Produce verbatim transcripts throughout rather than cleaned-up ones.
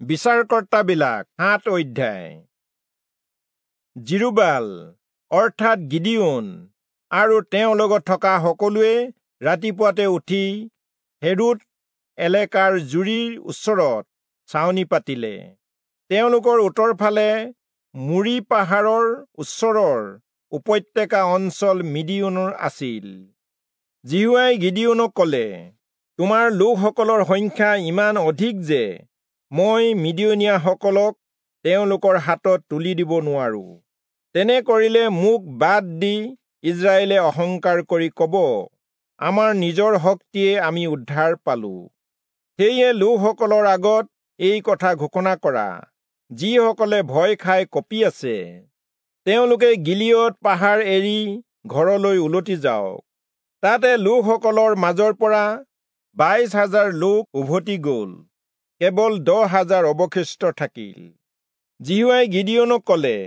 বিচাৰকৰ্তাবিলাক সাত অধ্যায়। যিৰুবাল অৰ্থাৎ গিদিয়োন আৰু তেওঁৰ লগত থকা সকলোৱে ৰাতিপুৱাতে উঠি হেৰোদ এলেকাৰ জুৰিৰ ওচৰত ছাউনি পাতিলে। তেওঁলোকৰ উত্তৰফালে মোৰী পাহাৰৰ ওচৰৰ উপত্যকা অঞ্চল মিদিয়োনৰ আছিল। যিহোৱাই গিদিয়োনক কলে, তোমাৰ লোকসকলৰ সংখ্যা ইমান অধিক যে মই মিদিয়নীয়াসকলক তেওঁলোকৰ হাতত তুলি দিব নোৱাৰো। তেনে কৰিলে মোক বাদ দি ইস্ৰায়েলে অহংকাৰ কৰি কব, আমাৰ নিজৰ শক্তিয়ে আমি উদ্ধাৰ পালো। সেয়ে লোকসকলৰ আগত এই কথা ঘোষণা কৰা, যিসকলে ভয় খাই কঁপি আছে তেওঁলোকে গিলিয়দ পাহাৰ এৰি ঘৰলৈ উলটি যাওক। তাতে লোকসকলৰ মাজৰ পৰা বাইশ হাজাৰ লোক উভতি গল, কেৱল দহ হাজাৰ অৱশিষ্ট থাকিল। যিহোৱাই গিদিয়োনক কলে,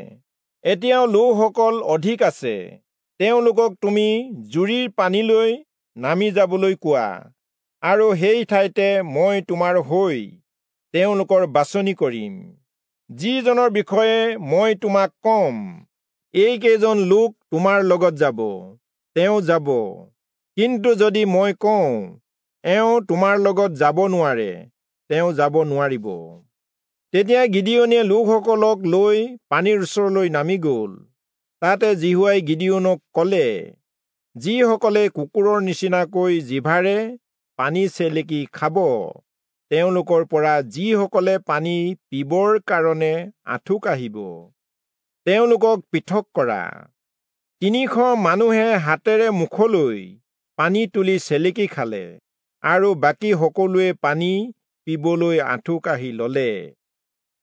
এতিয়াও লোকসকল অধিক আছে, তেওঁলোকক তুমি জুৰিৰ পানীলৈ নামি যাবলৈ কোৱা, আৰু সেই ঠাইতে মই তোমাৰ হৈ তেওঁলোকৰ বাছনি কৰিম। যিজনৰ বিষয়ে মই তোমাক কম, এইকেইজন লোক তোমাৰ লগত যাব, তেওঁ যাব। কিন্তু যদি মই কওঁ, এওঁ তোমাৰ লগত যাব নোৱাৰে, তেওঁ যাব নোৱাৰিব। তেতিয়া গিদিয়োনে লোকসকলক লৈ পানীৰ ওচৰলৈ নামি গল। তাতে যিহোৱাই গিদিয়োনক কলে, যিসকলে কুকুৰৰ নিচিনাকৈ জিভাৰে পানী চেলেকি খাব, তেওঁলোকৰ পৰা যিসকলে পানী পিবৰ কাৰণে আঁঠু কাঢ়িব, তেওঁলোকক পৃথক কৰা। তিনিশ মানুহে হাতেৰে মুখলৈ পানী তুলি চেলেকি খালে, আৰু বাকী সকলোৱে পানী পিবলৈ আঁঠু কাঢ়ি ললে।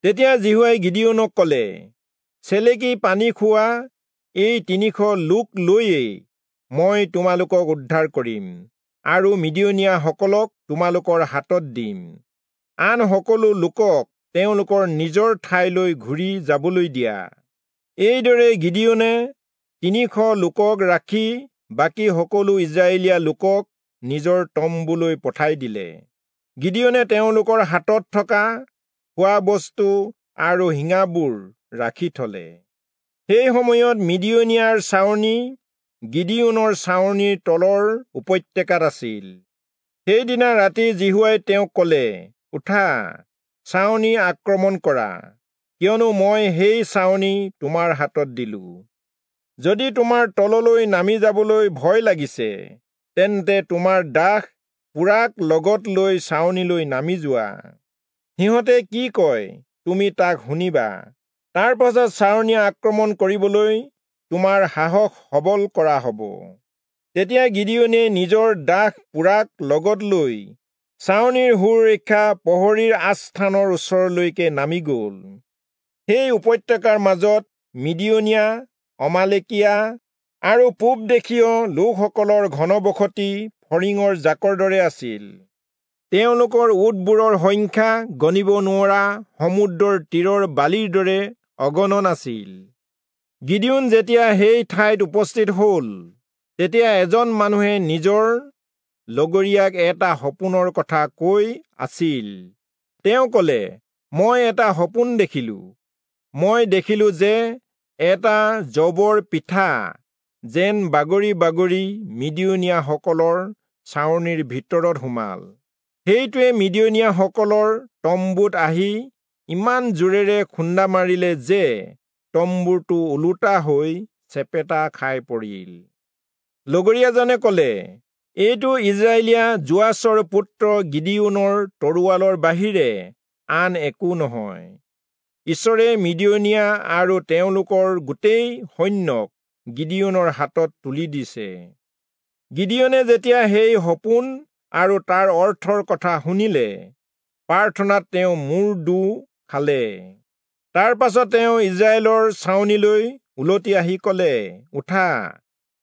তেতিয়া যিহোৱাই গিদিয়োনক কলে, চেলেকি পানী খোৱা এই তিনিশ লোক লৈয়েই মই তোমালোকক উদ্ধাৰ কৰিম, আৰু মিদিয়নীয়াসকলক তোমালোকৰ হাতত দিম। আন সকলো লোকক তেওঁলোকৰ নিজৰ ঠাইলৈ ঘূৰি যাবলৈ দিয়া। এইদৰে গিদিয়োনে তিনিশ লোকক ৰাখি বাকী সকলো ইস্ৰায়েলীয়া লোকক নিজৰ তম্বুলৈ পঠাই দিলে। গিদিয়োনে তেওঁলোকৰ হাতত থকা খোৱা বস্তু আৰু শিঙাবোৰ ৰাখি থলে। সেই সময়ত মিদিয়নীয়াৰ ছাউনি গিদিয়োনৰ ছাউনিৰ তলৰ উপত্যকাত আছিল। সেইদিনা ৰাতি যিহোৱাই তেওঁক কলে, উঠা, ছাউনি আক্ৰমণ কৰা, কিয়নো মই সেই ছাউনি তোমাৰ হাতত দিলো। যদি তোমাৰ তললৈ নামি যাবলৈ ভয় লাগিছে, তেন্তে তোমাৰ দাস পুৰাক লগত লৈ ছাউনিলৈ নামি যোৱা। সিহঁতে কি কয় তুমি তাক শুনিবা। তাৰ পাছত ছাউনি আক্ৰমণ কৰিবলৈ তোমাৰ সাহস সবল কৰা হব। তেতিয়া গিদিয়োনে নিজৰ দাস পুৰাক লগত লৈ ছাউনিৰ সুৰক্ষা প্ৰহৰীৰ আস্থানৰ ওচৰলৈকে নামি গল। সেই উপত্যকাৰ মাজত মিদিয়নীয়া, অমালেকীয়া আৰু পূব দেশীয় লোকসকলৰ ঘনবসতি ফৰিঙৰ জাকৰ দৰে আছিল। তেওঁলোকৰ উটবোৰৰ সংখ্যা গণিব নোৱৰা সমুদ্ৰৰ তীৰৰ বালিৰ দৰে অগণন আছিল। গিদিয়োন যেতিয়া সেই ঠাইত উপস্থিত হল, তেতিয়া এজন মানুহে নিজৰ লগৰীয়াক এটা সপোনৰ কথা কৈ আছিল। তেওঁ কলে, মই এটা সপোন দেখিলো। মই দেখিলো যে এটা যৱৰ পিঠা যেন বাগৰি বাগৰি মিদিয়নীয়াসকলৰ ছাউনিৰ ভিতৰত সোমাল। সেইটোৱে মিদিয়নীয়াসকলৰ তম্বুত আহি ইমান জোৰেৰে খুন্দা মাৰিলে যে তম্বুটো ওলোটা হৈ চেপেটা খাই পৰিল। লগৰীয়াজনে কলে, এইটো ইস্ৰায়েলীয়া যোৱাচৰ পুত্ৰ গিদিয়োনৰ তৰোৱালৰ বাহিৰে আন একো নহয়। ঈশ্বৰে মিদিয়নীয়া আৰু তেওঁলোকৰ গোটেই সৈন্যক গিদিয়োনৰ হাতত তুলি দিছে। গিদিয়োনে যেতিয়া সেই সপোন আৰু তাৰ অৰ্থৰ কথা শুনিলে, প্ৰাৰ্থনাত তেওঁ মূৰ দোঁ খালে। তাৰ পাছত তেওঁ ইস্ৰায়েলৰ ছাউনিলৈ উলটি আহি কলে, উঠা,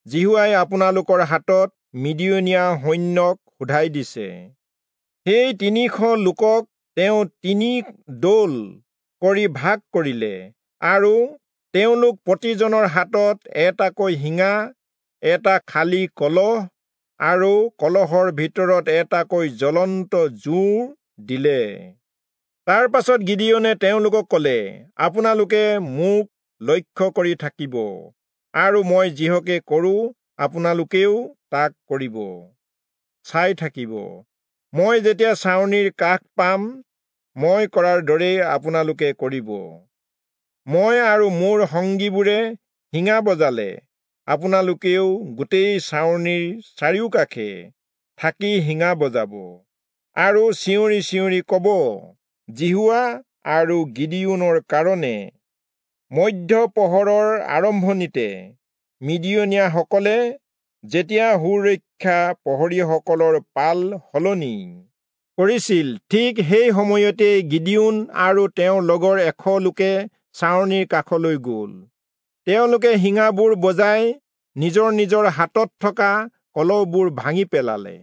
যিহোৱাই আপোনালোকৰ হাতত মিদিয়নীয়া সৈন্যক শোধাই দিছে। সেই তিনিশ লোকক তেওঁ তিনি দল কৰি ভাগ কৰিলে, আৰু তেওঁলোক প্ৰতিজনৰ হাতত এটাকৈ শিঙা, এটা খালী কলহ আৰু কলহৰ ভিতৰত এটাকৈ জ্বলন্ত জোঁৰ দিলে। তাৰ পাছত গিদিয়োনে তেওঁলোকক কলে, আপোনালোকে মোক লক্ষ্য কৰি থাকিব আৰু মই যিহকে কৰো আপোনালোকেও তাক কৰিব চাই থাকিব। মই যেতিয়া ছাউনিৰ কাষ পাম, মই কৰাৰ দৰেই আপোনালোকে কৰিব। মই আৰু মোৰ সংগীবোৰে শিঙা বজালে আপোনালোকেও গোটেই ছাউনিৰ চাৰিওকাষে থাকি শিঙা বজাব আৰু চিঞৰি চিঞৰি কব, যিহোৱা আৰু গিদিয়োনৰ কাৰণে। মধ্য প্ৰহৰৰ আৰম্ভণিতে মিদিয়নীয়াসকলে যেতিয়া সুৰক্ষা প্ৰহৰীসকলৰ পাল সলনি কৰিছিল, ঠিক সেই সময়তে গিদিয়োন আৰু তেওঁৰ লগৰ এশ লোকে ছাউনিৰ কাষলৈ গ'ল। তেওঁলোকে শিঙাবোৰ বজাই নিজৰ নিজৰ হাতত থকা কলহবোৰ ভাঙি পেলালে।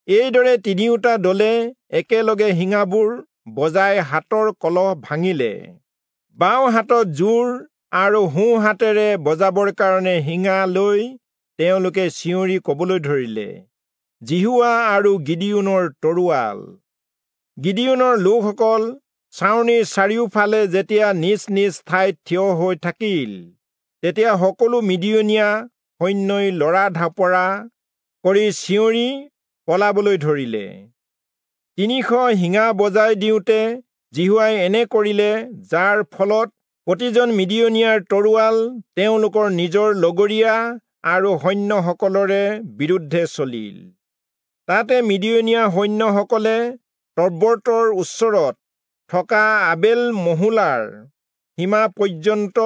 এইদৰে তিনিওটা দলে একেলগে শিঙাবোৰ বজাই হাতৰ কলহ ভাঙিলে। বাওঁ হাতত জোৰ আৰু সোঁ হাতেৰে বজাবৰ কাৰণে শিঙা লৈ তেওঁলোকে চিঞৰি কবলৈ ধৰিলে, যিহোৱা আৰু গিদিয়োনৰ তৰোৱাল। গিদিয়োনৰ লোকসকল ছাউনিৰ চাৰিওফালে যেতিয়া নিজ নিজ ঠাইত থিয় হৈ থাকিল, তেতিয়া সকলো মিদিয়নীয়া সৈন্যই লৰা ঢাপৰা কৰি চিঞৰি পলাবলৈ ধৰিলে। তিনিশ শিঙা বজাই দিওঁতে যিহোৱাই এনে কৰিলে, যাৰ ফলত প্ৰতিজন মিদিয়নীয়াৰ তৰোৱাল তেওঁলোকৰ নিজৰ লগৰীয়া আৰু সৈন্যসকলৰে বিৰুদ্ধে চলিল। তাতে মিদিয়নীয়া সৈন্যসকলে তব্বৰ্তৰ ওচৰত থকা আবেল মহোলাৰ সীমা পৰ্যন্ত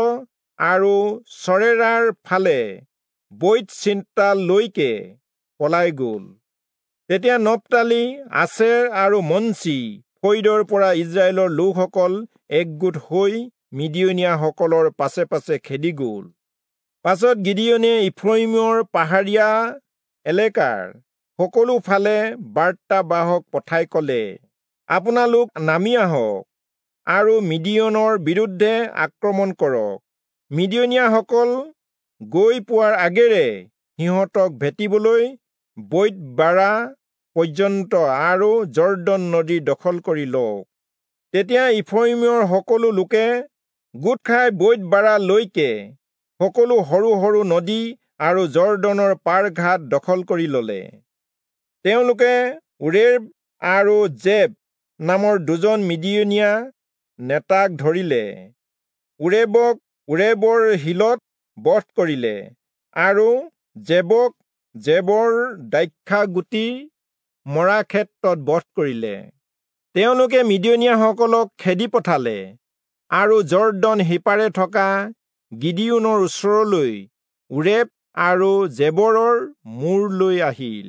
আৰু চৰেৰাৰ ফালে বৈৎ-চিত্তালৈকে পলাই গ'ল। তেতিয়া নপ্তালি, আচেৰ আৰু মনচি ফৈদৰ পৰা ইস্ৰায়েলৰ লোকসকল একগোট হৈ মিদিয়নীয়াসকলৰ পাছে পাছে খেদি গ'ল। পাছত গিদিয়োনে ইফ্ৰয়িমৰ পাহাৰীয়া এলেকাৰ সকলো ফালে বাৰ্তাবাহক পঠাই কলে, আপোনালোক নামি আহক আৰু মিদিয়নৰ বিৰুদ্ধে আক্ৰমণ কৰক। মিদিয়নীয়াসকল গৈ পোৱাৰ আগেৰে সিহঁতক ভেটিবলৈ বৈৎ-বাৰা পৰ্যন্ত আৰু যৰ্দন নদী দখল কৰি লওক। তেতিয়া ইফ্ৰয়িমৰ সকলো লোকে গোট খাই বৈৎ-বাৰালৈকে সকলো সৰু সৰু নদী আৰু যৰ্দনৰ পাৰঘাট দখল কৰি ললে। তেওঁলোকে ওৰেব আৰু জেব নামৰ দুজন মিদিয়নীয়া নেতাক ধৰিলে। ওৰেবক ওৰেবৰ শিলত বধ কৰিলে আৰু জেবক জেবৰ দ্ৰাক্ষাগুটি মৰা ক্ষেত্ৰত বধ কৰিলে। তেওঁলোকে মিদিয়নীয়াসকলক খেদি পঠালে আৰু যৰ্দন সিপাৰে থকা গিদিয়োনৰ ওচৰলৈ ওৰেব আৰু জেবৰৰ মূৰ লৈ আহিল।